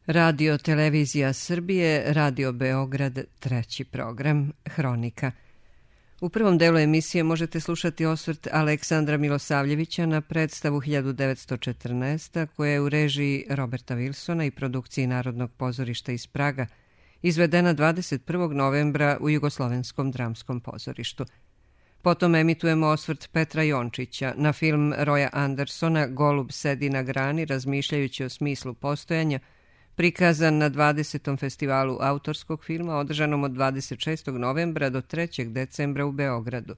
Radio Televizija Srbije, Radio Beograd, treći program, Hronika. U prvom delu emisije možete slušati osvrt Aleksandra Milosavljevića na predstavu 1914. koja je u režiji Roberta Wilsona i produkciji Narodnog pozorišta iz Praga, izvedena 21. novembra u Jugoslovenskom dramskom pozorištu. Potom emitujemo osvrt Petra Jončića na film Roya Andersona Golub sedi na grani razmišljajući o smislu postojanja, prikazan na 20. festivalu autorskog filma održanom od 26. novembra do 3. decembra u Beogradu.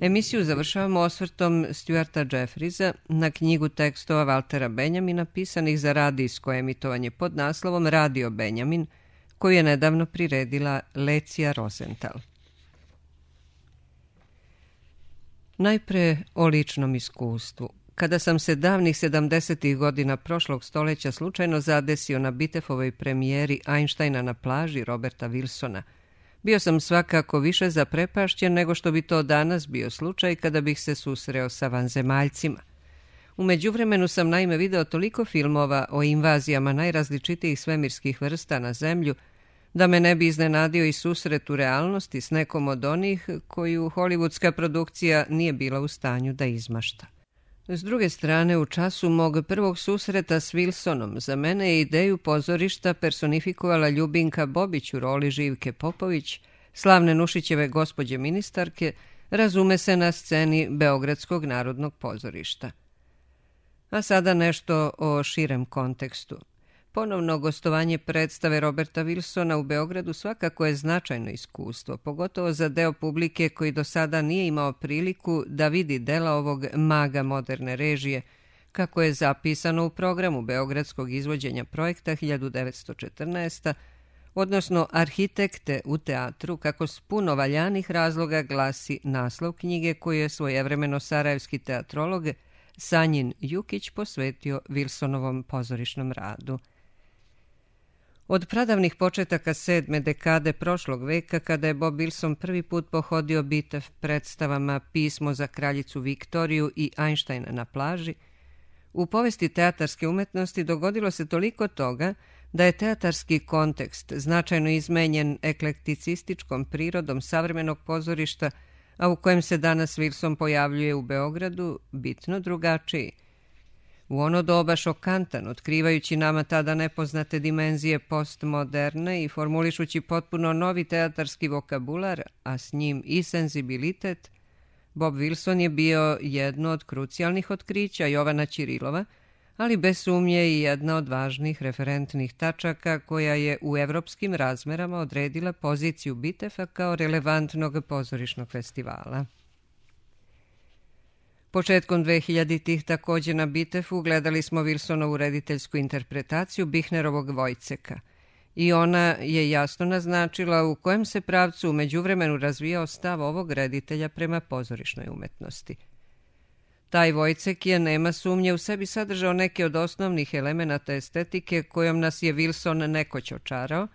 Emisiju završavamo osvrtom Stuarta Jeffriesa na knjigu tekstova Valtera Benjamina pisanih za radijsko emitovanje pod naslovom Radio Benjamin, koju je nedavno priredila Lecija Rosenthal. Najpre o ličnom iskustvu. Kada sam se davnih 70. godina prošlog stoljeća slučajno zadesio na Bitefovoj premijeri Einsteina na plaži Roberta Wilsona, bio sam svakako više zaprepašćen nego što bi to danas bio slučaj kada bih se susreo sa vanzemaljcima. U međuvremenu sam naime video toliko filmova o invazijama najrazličitijih svemirskih vrsta na Zemlju, da me ne bi iznenadio i susret u realnosti s nekom od onih koju hollywoodska produkcija nije bila u stanju da izmašta. S druge strane, u času mog prvog susreta s Wilsonom za mene je ideju pozorišta personifikovala Ljubinka Bobić u roli Živke Popović, slavne Nušićeve gospođe ministarke, razume se na sceni Beogradskog narodnog pozorišta. A sada nešto o širem kontekstu. Ponovno gostovanje predstave Roberta Wilsona u Beogradu svakako je značajno iskustvo, pogotovo za deo publike koji do sada nije imao priliku da vidi dela ovog maga moderne režije, kako je zapisano u programu beogradskog izvođenja projekta 1914, odnosno Arhitekte u teatru, kako s puno valjanih razloga glasi naslov knjige koju je svojevremeno sarajevski teatrolog Sanjin Jukić posvetio Wilsonovom pozorišnom radu. Od pradavnih početaka 7. dekade prošlog veka, kada je Bob Wilson prvi put pohodio Bitev predstavama Pismo za kraljicu Viktoriju i Einsteina na plaži, u povesti teatarske umetnosti dogodilo se toliko toga da je teatarski kontekst značajno izmenjen eklekticističkom prirodom savremenog pozorišta, a u kojem se danas Wilson pojavljuje u Beogradu, bitno drugačiji. U ono doba šokantan, otkrivajući nama tada nepoznate dimenzije postmoderne i formulišući potpuno novi teatarski vokabular, a s njim i senzibilitet, Bob Wilson je bio jedno od krucijalnih otkrića Jovana Ćirilova, ali bez sumnje i jedna od važnih referentnih tačaka koja je u evropskim razmerama odredila poziciju Bitefa kao relevantnog pozorišnog festivala. Početkom 2000-ih također na Bitefu gledali smo Wilsonovu rediteljsku interpretaciju Bihnerovog Vojceka i ona je jasno naznačila u kojem se pravcu u međuvremenu razvijao stav ovog reditelja prema pozorišnoj umetnosti. Taj Vojcek je, nema sumnje, u sebi sadržao neke od osnovnih elemenata estetike kojom nas je Wilson nekoć očarao,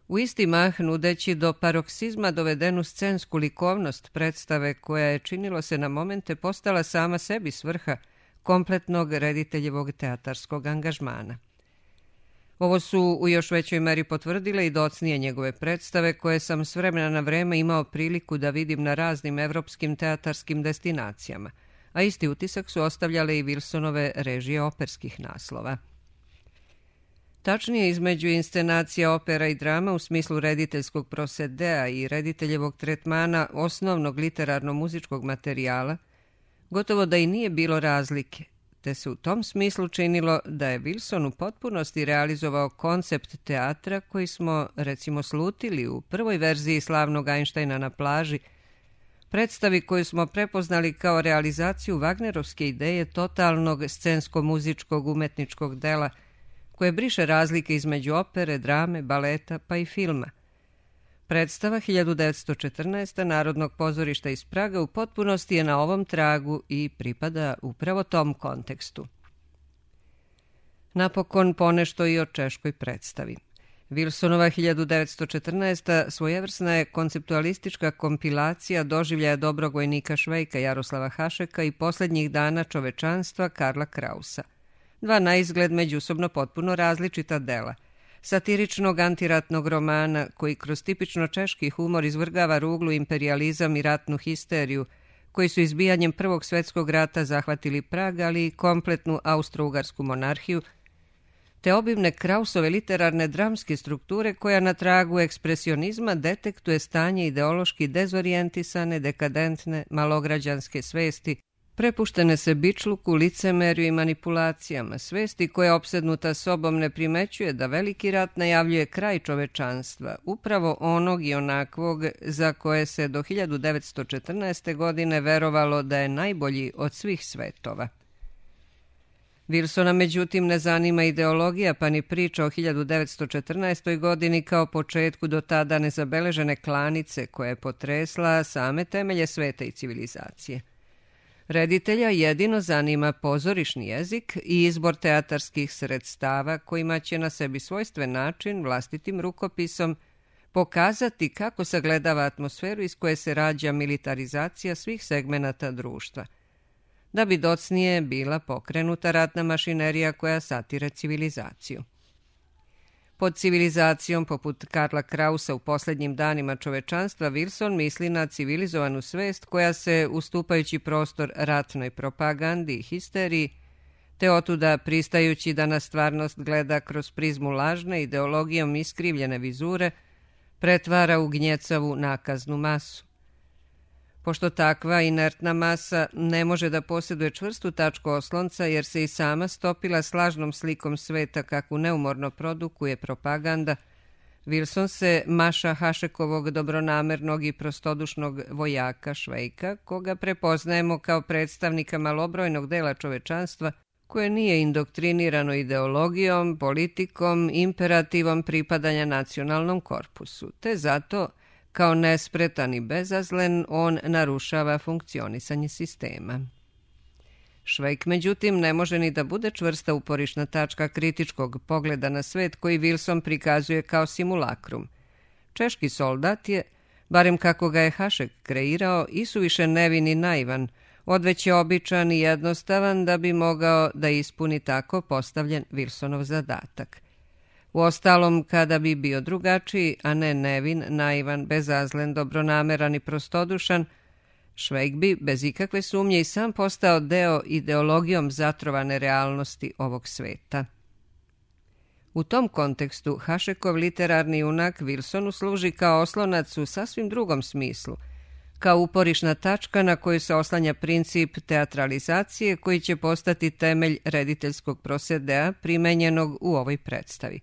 u isti mah nudeći do paroksizma dovedenu scensku likovnost predstave koja je, činilo se na momente, postala sama sebi svrha kompletnog rediteljevog teatarskog angažmana. Ovo su u još većoj meri potvrdile i docnije njegove predstave koje sam s vremena na vreme imao priliku da vidim na raznim evropskim teatarskim destinacijama, a isti utisak su ostavljale i Wilsonove režije operskih naslova. Tačnije, između inscenacija opera i drama u smislu rediteljskog prosedea i rediteljevog tretmana osnovnog literarno-muzičkog materijala, gotovo da i nije bilo razlike, te se u tom smislu činilo da je Wilson u potpunosti realizovao koncept teatra koji smo, recimo, slutili u prvoj verziji slavnog Einsteina na plaži, predstavi koju smo prepoznali kao realizaciju Wagnerovske ideje totalnog scensko-muzičkog umetničkog dela, koje briše razlike između opere, drame, baleta pa i filma. Predstava 1914. Narodnog pozorišta iz Praga u potpunosti je na ovom tragu i pripada upravo tom kontekstu. Napokon ponešto i o češkoj predstavi. Wilsonova 1914. svojevrsna je konceptualistička kompilacija doživljaja dobrog vojnika Švejka Jaroslava Hašeka i posljednjih dana čovečanstva Karla Krausa. dva naizgled međusobno potpuno različita dela. Satiričnog antiratnog romana koji kroz tipično češki humor izvrgava ruglu imperijalizam i ratnu histeriju, koji su izbijanjem Prvog svjetskog rata zahvatili Prag, ali i kompletnu austro-ugarsku monarhiju, te obimne Krausove literarne dramske strukture koja na tragu ekspresionizma detektuje stanje ideološki dezorijentisane, dekadentne, malograđanske svesti, prepuštene se bičluku, licemerju i manipulacijama, svesti koja opsednuta sobom ne primećuje da veliki rat najavljuje kraj čovečanstva, upravo onog i onakvog za koje se do 1914. godine verovalo da je najbolji od svih svetova. Wilsona međutim ne zanima ideologija pa ni priča o 1914. godini kao početku do tada nezabeležene klanice koja je potresla same temelje sveta i civilizacije. Reditelja jedino zanima pozorišni jezik i izbor teatarskih sredstava kojima će na sebi svojstven način, vlastitim rukopisom, pokazati kako sagledava atmosferu iz koje se rađa militarizacija svih segmenata društva, da bi docnije bila pokrenuta ratna mašinerija koja satire civilizaciju. Pod civilizacijom, poput Karla Krausa u posljednjim danima čovečanstva, Wilson misli na civilizovanu svest koja se, ustupajući prostor ratnoj propagandi i histeriji, te otuda pristajući da na stvarnost gleda kroz prizmu lažne, ideologijom iskrivljene vizure, pretvara u gnjecavu nakaznu masu. Pošto takva inertna masa ne može da posjeduje čvrstu tačku oslonca jer se i sama stopila s lažnom slikom sveta kakvu neumorno produkuje propaganda, Wilson se maša Hašekovog dobronamernog i prostodušnog vojaka Švejka, koga prepoznajemo kao predstavnika malobrojnog dela čovečanstva koje nije indoktrinirano ideologijom, politikom, imperativom pripadanja nacionalnom korpusu, te zato kao nespretan i bezazlen, on narušava funkcionisanje sistema. Švejk, međutim, ne može ni da bude čvrsta uporišna tačka kritičkog pogleda na svet koji Wilson prikazuje kao simulakrum. Češki soldat je, barem kako ga je Hašek kreirao, isuviše nevin i naivan, odveć je običan i jednostavan da bi mogao da ispuni tako postavljen Wilsonov zadatak. Uostalom, kada bi bio drugačiji, a ne nevin, naivan, bezazlen, dobronameran i prostodušan, Švejk bi, bez ikakve sumnje, i sam postao deo ideologijom zatrovane realnosti ovog sveta. U tom kontekstu Hašekov literarni junak Wilsonu služi kao oslonac u sasvim drugom smislu, kao uporišna tačka na koju se oslanja princip teatralizacije koji će postati temelj rediteljskog prosedea primenjenog u ovoj predstavi.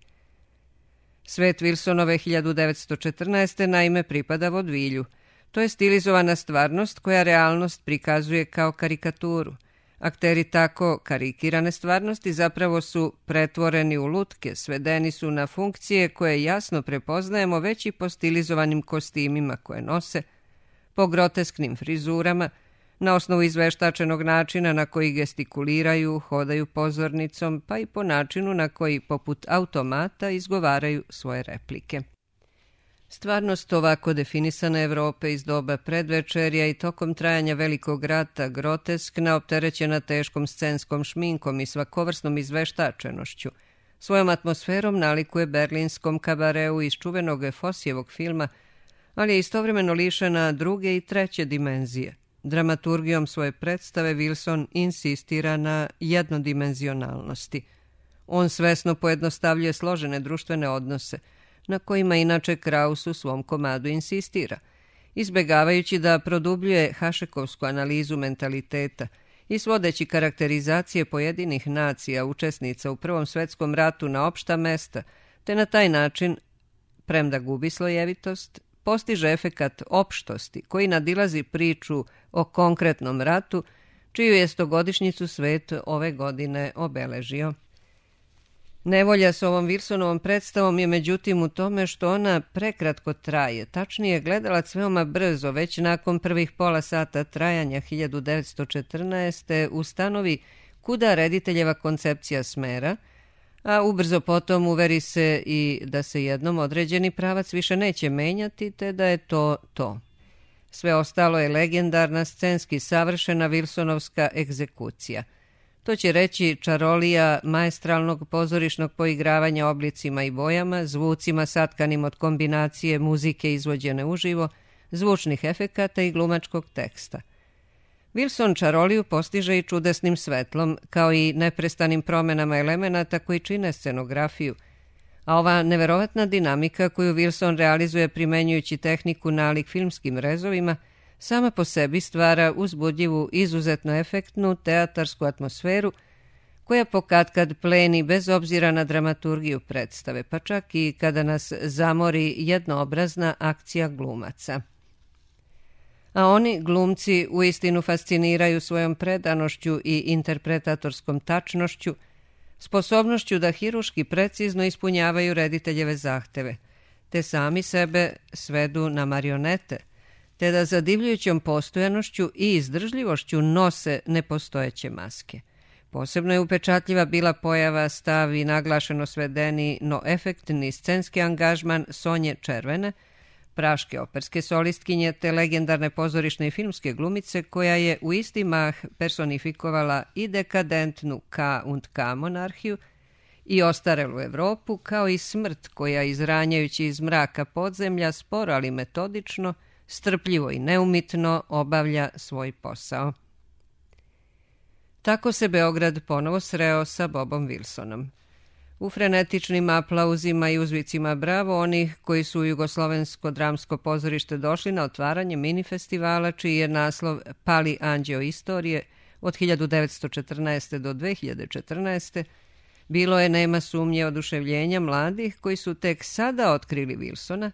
Svet Wilsonove 1914. naime pripada vodvilju. To je stilizovana stvarnost koja realnost prikazuje kao karikaturu. Akteri tako karikirane stvarnosti zapravo su pretvoreni u lutke, svedeni su na funkcije koje jasno prepoznajemo već i po stilizovanim kostimima koje nose, po grotesknim frizurama, na osnovu izveštačenog načina na koji gestikuliraju, hodaju pozornicom, pa i po načinu na koji, poput automata, izgovaraju svoje replike. Stvarnost ovako definisane Evrope iz doba predvečerja i tokom trajanja Velikog rata, groteskna, opterećena teškom scenskom šminkom i svakovrsnom izveštačenošću, svojom atmosferom nalikuje berlinskom kabareu iz čuvenog Fosijevog filma, ali je istovremeno lišena druge i treće dimenzije. Dramaturgijom svoje predstave Wilson insistira na jednodimenzionalnosti. On svesno pojednostavljuje složene društvene odnose, na kojima inače Kraus u svom komadu insistira, izbegavajući da produbljuje hašekovsku analizu mentaliteta i svodeći karakterizacije pojedinih nacija učesnica u Prvom svetskom ratu na opšta mesta, te na taj način, premda gubi slojevitost, postiže efekat opštosti koji nadilazi priču o konkretnom ratu, čiju je 100-godišnjicu svet ove godine obeležio. Nevolja s ovom Wilsonovom predstavom je međutim u tome što ona prekratko traje, tačnije gledalac veoma brzo, već nakon prvih pola sata trajanja 1914. ustanovi kuda rediteljeva koncepcija smera, a ubrzo potom uveri se i da se jednom određeni pravac više neće menjati, te da je to to. Sve ostalo je legendarna, scenski savršena Wilsonovska egzekucija. To će reći čarolija maestralnog pozorišnog poigravanja oblicima i bojama, zvucima satkanim od kombinacije muzike izvođene uživo, zvučnih efekata i glumačkog teksta. Wilson čaroliju postiže i čudesnim svetlom, kao i neprestanim promenama elemenata koji čine scenografiju, a ova neverovatna dinamika koju Wilson realizuje primenjujući tehniku nalik filmskim rezovima, sama po sebi stvara uzbudljivu, izuzetno efektnu teatarsku atmosferu koja pokatkad pleni bez obzira na dramaturgiju predstave, pa čak i kada nas zamori jednoobrazna akcija glumaca. A oni, glumci, uistinu fasciniraju svojom predanošću i interpretatorskom tačnošću, sposobnošću da hiruški precizno ispunjavaju rediteljeve zahteve, te sami sebe svedu na marionete, te da zadivljujućom postojanošću i izdržljivošću nose nepostojeće maske. Posebno je upečatljiva bila pojava, stav i naglašeno svedeni, no efektni scenski angažman Sonje Červene, praške operske solistkinje te legendarne pozorišne i filmske glumice koja je u isti mah personifikovala i dekadentnu K&K monarhiju i ostarelu Evropu, kao i smrt koja, izranjajući iz mraka podzemlja, sporo ali metodično, strpljivo i neumitno obavlja svoj posao. Tako se Beograd ponovo sreo sa Bobom Wilsonom. U frenetičnim aplauzima i uzvicima bravo onih koji su u Jugoslovensko dramsko pozorište došli na otvaranje mini festivala čiji je naslov Pali anđeo istorije od 1914. do 2014. bilo je, nema sumnje, oduševljenja mladih koji su tek sada otkrili Wilsona,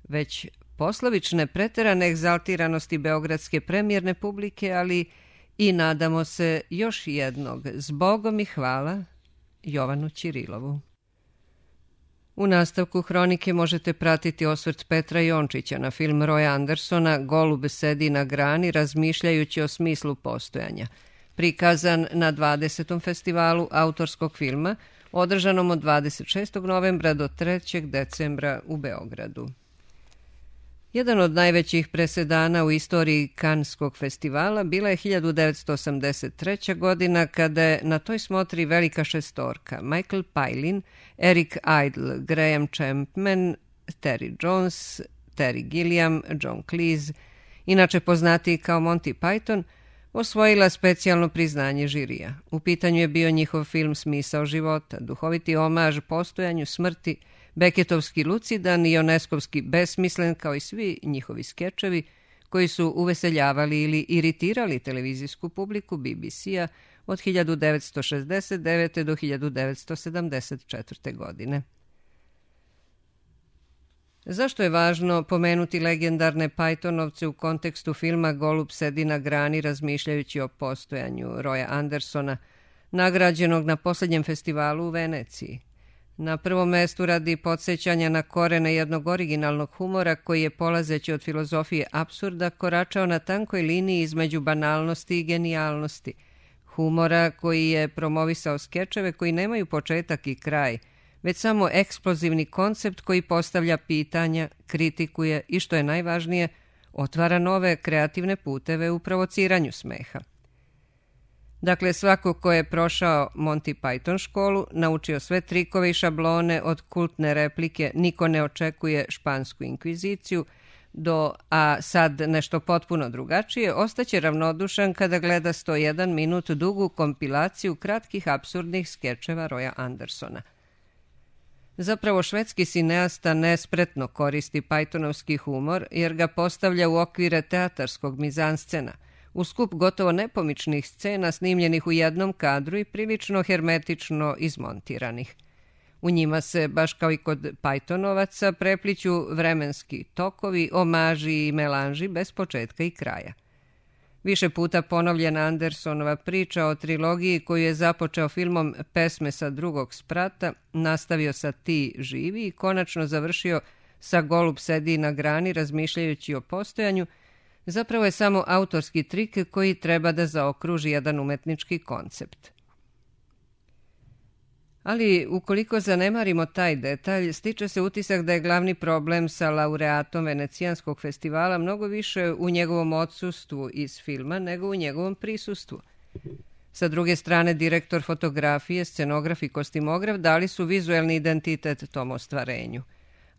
već poslovične preterane egzaltiranosti beogradske premijerne publike, ali i nadamo se još jednog zbogom i hvala Jovanu Ćirilovu. U nastavku hronike možete pratiti osvrt Petra Jončića na film Roya Andersona Golub sedi na grani razmišljajući o smislu postojanja, prikazan na 20. festivalu autorskog filma, održanom od 26. novembra do 3. decembra u Beogradu. Jedan od najvećih presedana u istoriji Kanskog festivala bila je 1983. godina kada je na toj smotri velika šestorka Michael Palin, Eric Idle, Graham Chapman, Terry Jones, Terry Gilliam, John Cleese, inače poznatiji kao Monty Python, osvojila specijalno priznanje žirija. U pitanju je bio njihov film Smisao života, duhoviti omaž postojanju, smrti, Beketovski lucidan i Ioneskovski besmislen, kao i svi njihovi skečevi koji su uveseljavali ili iritirali televizijsku publiku BBC-a od 1969. do 1974. godine. Zašto je važno pomenuti legendarne Pythonovce u kontekstu filma Golub sedi na grani razmišljajući o postojanju Roya Andersona, nagrađenog na posljednjem festivalu u Veneciji? Na prvom mestu radi podsjećanja na korene jednog originalnog humora koji je, polazeći od filozofije apsurda, koračao na tankoj liniji između banalnosti i genijalnosti. Humora koji je promovisao skečeve koji nemaju početak i kraj, već samo eksplozivni koncept koji postavlja pitanja, kritikuje i, što je najvažnije, otvara nove kreativne puteve u provociranju smeha. Dakle, svako ko je prošao Monty Python školu, naučio sve trikove i šablone od kultne replike "Niko ne očekuje špansku inkviziciju" do "a sad nešto potpuno drugačije", ostaće ravnodušan kada gleda 101 minut dugu kompilaciju kratkih apsurdnih skečeva Roya Andersona. Zapravo, švedski sineasta nespretno koristi Pythonovski humor jer ga postavlja u okvire teatarskog mizanscena, u skup gotovo nepomičnih scena snimljenih u jednom kadru i prilično hermetično izmontiranih. U njima se, baš kao i kod Pythonovaca, prepliću vremenski tokovi, omaži i melanži bez početka i kraja. Više puta ponovljena Andersonova priča o trilogiji koju je započeo filmom Pesme sa drugog sprata, nastavio sa Ti živi i konačno završio sa Golub sedi na grani razmišljajući o postojanju, zapravo je samo autorski trik koji treba da zaokruži jedan umetnički koncept. Ali ukoliko zanemarimo taj detalj, stiče se utisak da je glavni problem sa laureatom Venecijanskog festivala mnogo više u njegovom odsustvu iz filma nego u njegovom prisustvu. Sa druge strane, direktor fotografije, scenograf i kostimograf dali su vizuelni identitet tom ostvarenju.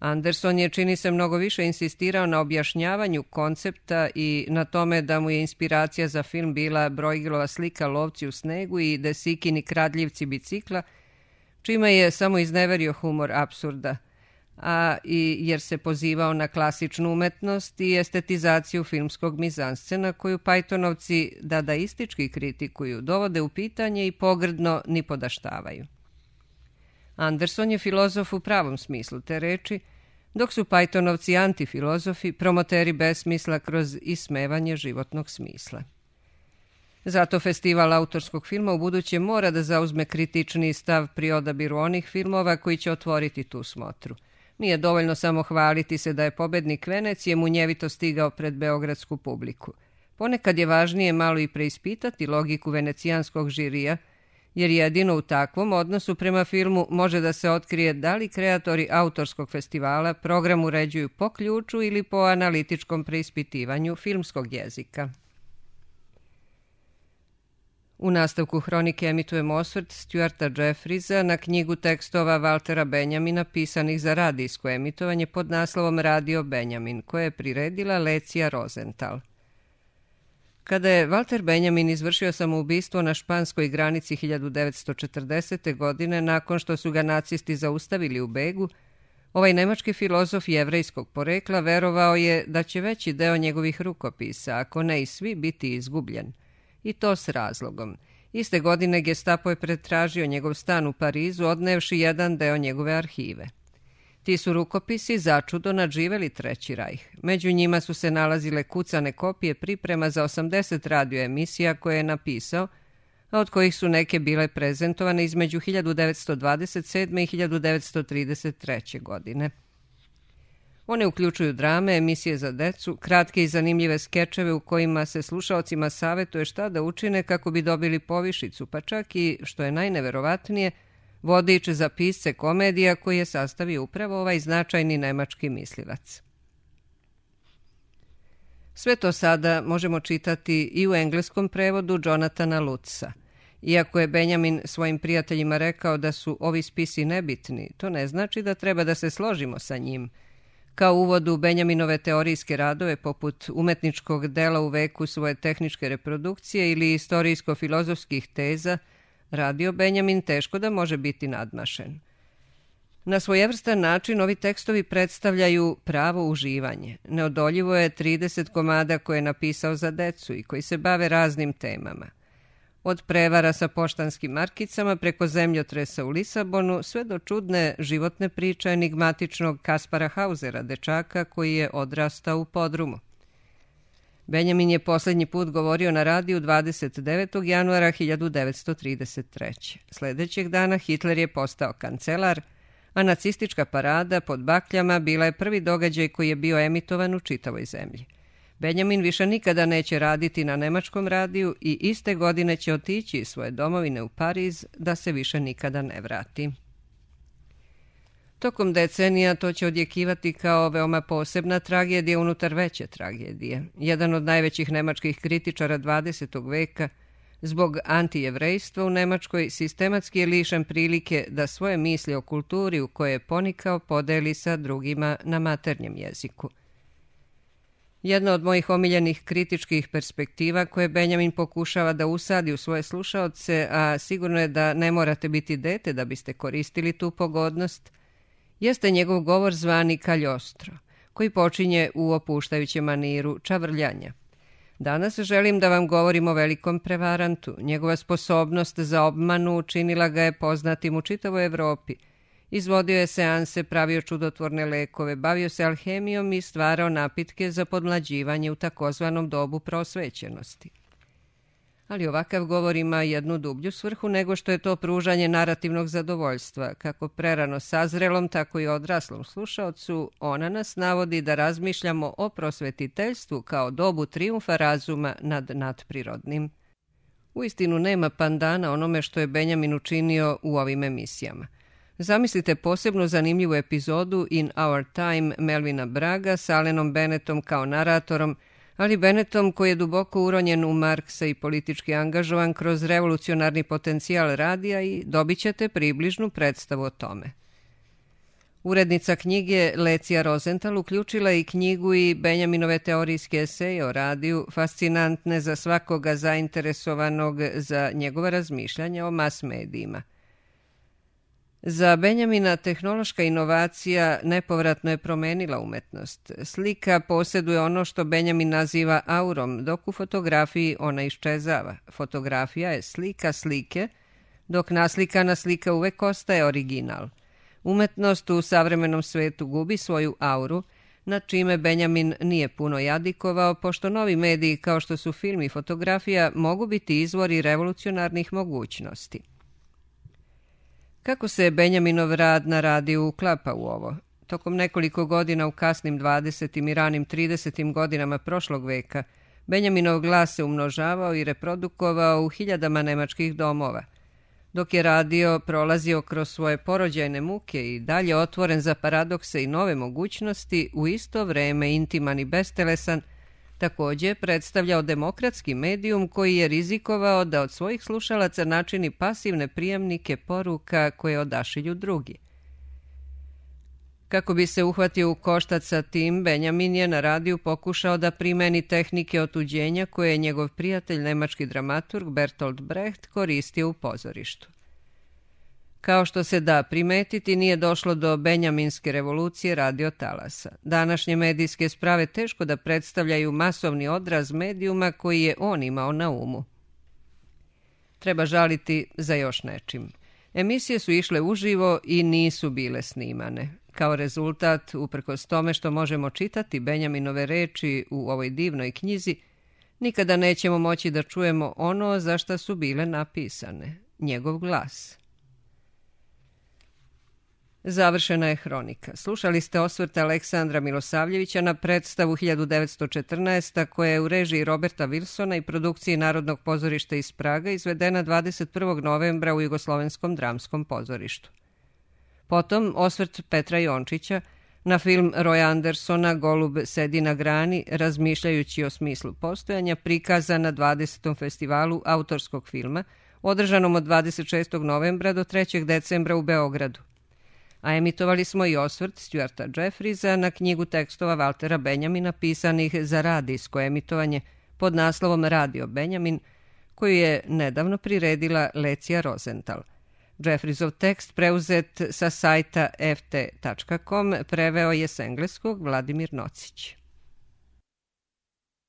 Anderson je, čini se, mnogo više insistirao na objašnjavanju koncepta i na tome da mu je inspiracija za film bila Bruegelova slika Lovci u snegu i De Sikini Kradljivci bicikla, čime je samo izneverio humor apsurda, a i jer se pozivao na klasičnu umetnost i estetizaciju filmskog mizanscena koju Pythonovci dadaistički kritikuju, dovode u pitanje i pogrdno nipodaštavaju. Anderson je filozof u pravom smislu te reči, dok su Pythonovci antifilozofi, promoteri besmisla kroz ismevanje životnog smisla. Zato festival autorskog filma ubuduće mora da zauzme kritični stav pri odabiru onih filmova koji će otvoriti tu smotru. Nije dovoljno samo hvaliti se da je pobednik Venecije munjevito stigao pred beogradsku publiku. Ponekad je važnije malo i preispitati logiku venecijanskog žirija, jer jedino u takvom odnosu prema filmu može da se otkrije da li kreatori autorskog festivala program uređuju po ključu ili po analitičkom preispitivanju filmskog jezika. U nastavku hronike emitujemo osvrt Stuarta Jeffriesa na knjigu tekstova Waltera Benjamina pisanih za radijsko emitovanje pod naslovom Radio Benjamin, koje je priredila Lecija Rosenthal. Kada je Walter Benjamin izvršio samoubistvo na španskoj granici 1940. godine nakon što su ga nacisti zaustavili u begu, ovaj nemački filozof jevrejskog porekla verovao je da će veći deo njegovih rukopisa, ako ne i svi, biti izgubljen. I to s razlogom. Iste godine Gestapo je pretražio njegov stan u Parizu, odnevši jedan deo njegove arhive. Ti su rukopisi začudo nadživeli Treći rajh. Među njima su se nalazile kucane kopije priprema za 80 radioemisija koje je napisao, a od kojih su neke bile prezentovane između 1927. i 1933. godine. One uključuju drame, emisije za decu, kratke i zanimljive skečeve u kojima se slušaocima savetuje šta da učine kako bi dobili povišicu, pa čak i, što je najneverovatnije, vodič za pisce komedija koji je sastavio upravo ovaj značajni nemački mislilac. Sve to sada možemo čitati i u engleskom prevodu Jonathana Lutza. Iako je Benjamin svojim prijateljima rekao da su ovi spisi nebitni, to ne znači da treba da se složimo sa njim. Kao uvod u Benjaminove teorijske radove poput umetničkog dela u veku svoje tehničke reprodukcije ili istorijsko-filozofskih teza, Radio Benjamin teško da može biti nadmašen. Na svojevrstan način ovi tekstovi predstavljaju pravo uživanje. Neodoljivo je 30 komada koje je napisao za decu i koji se bave raznim temama. Od prevara sa poštanskim markicama preko zemljotresa u Lisabonu sve do čudne životne priče enigmatičnog Kaspara Hausera, dečaka koji je odrastao u podrumu. Benjamin je posljednji put govorio na radiju 29. januara 1933. Sljedećeg dana Hitler je postao kancelar, a nacistička parada pod bakljama bila je prvi događaj koji je bio emitovan u čitavoj zemlji. Benjamin više nikada neće raditi na nemačkom radiju i iste godine će otići iz svoje domovine u Pariz da se više nikada ne vrati. Tokom decenija to će odjekivati kao veoma posebna tragedija unutar veće tragedije. Jedan od najvećih nemačkih kritičara 20. veka, zbog antijevrejstva u Nemačkoj, sistematski je lišen prilike da svoje misli o kulturi u kojoj je ponikao podeli sa drugima na maternjem jeziku. Jedna od mojih omiljenih kritičkih perspektiva koje Benjamin pokušava da usadi u svoje slušaoce, a sigurno je da ne morate biti dete da biste koristili tu pogodnost, jeste njegov govor zvani Cagliostro, koji počinje u opuštajućem maniru čavrljanja. Danas želim da vam govorim o velikom prevarantu. Njegova sposobnost za obmanu učinila ga je poznatim u čitavoj Evropi. Izvodio je seanse, pravio čudotvorne lekove, bavio se alhemijom i stvarao napitke za podmlađivanje u takozvanom dobu prosvećenosti. Ali ovakav govor ima jednu dublju svrhu nego što je to pružanje narativnog zadovoljstva. Kako prerano sazrelom, tako i odraslom slušaocu, ona nas navodi da razmišljamo o prosvetiteljstvu kao dobu trijumfa razuma nad nadprirodnim. Uistinu nema pandana onome što je Benjamin učinio u ovim emisijama. Zamislite posebno zanimljivu epizodu In Our Time Melvina Bragga s Allenom Bennettom kao naratorom, ali Bennettom koji je duboko uronjen u Marksa i politički angažovan kroz revolucionarni potencijal radija i dobit ćete približnu predstavu o tome. Urednica knjige Lecija Rosenthal uključila je i knjigu i Benjaminove teorijske eseje o radiju, fascinantne za svakoga zainteresovanog za njegova razmišljanja o mas medijima. Za Benjamina tehnološka inovacija nepovratno je promenila umetnost. Slika posjeduje ono što Benjamin naziva aurom, dok u fotografiji ona iščezava. Fotografija je slika slike, dok naslikana slika uvek ostaje original. Umetnost u savremenom svetu gubi svoju auru, nad čime Benjamin nije puno jadikovao, pošto novi mediji kao što su film i fotografija mogu biti izvori revolucionarnih mogućnosti. Kako se Benjaminov rad na radiju uklapa u ovo? Tokom nekoliko godina u kasnim 20. i ranim 30. godinama prošlog veka, Benjaminov glas se umnožavao i reprodukovao u hiljadama nemačkih domova. Dok je radio prolazio kroz svoje porođajne muke i dalje otvoren za paradokse i nove mogućnosti, u isto vreme intiman i bestelesan, također je predstavljao demokratski medijum koji je rizikovao da od svojih slušalaca načini pasivne prijemnike poruka koje odašilju drugi. Kako bi se uhvatio u koštac sa tim, Benjamin je na radiju pokušao da primeni tehnike otuđenja koje je njegov prijatelj, nemački dramaturg Bertolt Brecht, koristio u pozorištu. Kao što se da primetiti, nije došlo do benjaminske revolucije radiotalasa. Današnje medijske sprave teško da predstavljaju masovni odraz medijuma koji je on imao na umu. Treba žaliti za još nečim. Emisije su išle uživo i nisu bile snimane. Kao rezultat, uprkos tome što možemo čitati Benjaminove reči u ovoj divnoj knjizi, nikada nećemo moći da čujemo ono za šta su bile napisane, njegov glas. Završena je hronika. Slušali ste osvrt Aleksandra Milosavljevića na predstavu 1914. koja je u režiji Roberta Wilsona i produkciji Narodnog pozorišta iz Praga izvedena 21. novembra u Jugoslovenskom dramskom pozorištu. Potom osvrt Petra Jončića na film Roya Andersona Golub sedi na grani, razmišljajući o smislu postojanja, prikazan na 20. festivalu autorskog filma, održanom od 26. novembra do 3. decembra u Beogradu. A emitovali smo i osvrt Stuarta Jeffriesa na knjigu tekstova Valtera Benjamina pisanih za radijsko emitovanje pod naslovom Radio Benjamin, koju je nedavno priredila Lecija Rosenthal. Jeffriesov tekst preuzet sa sajta ft.com preveo je s engleskog Vladimir Nocić.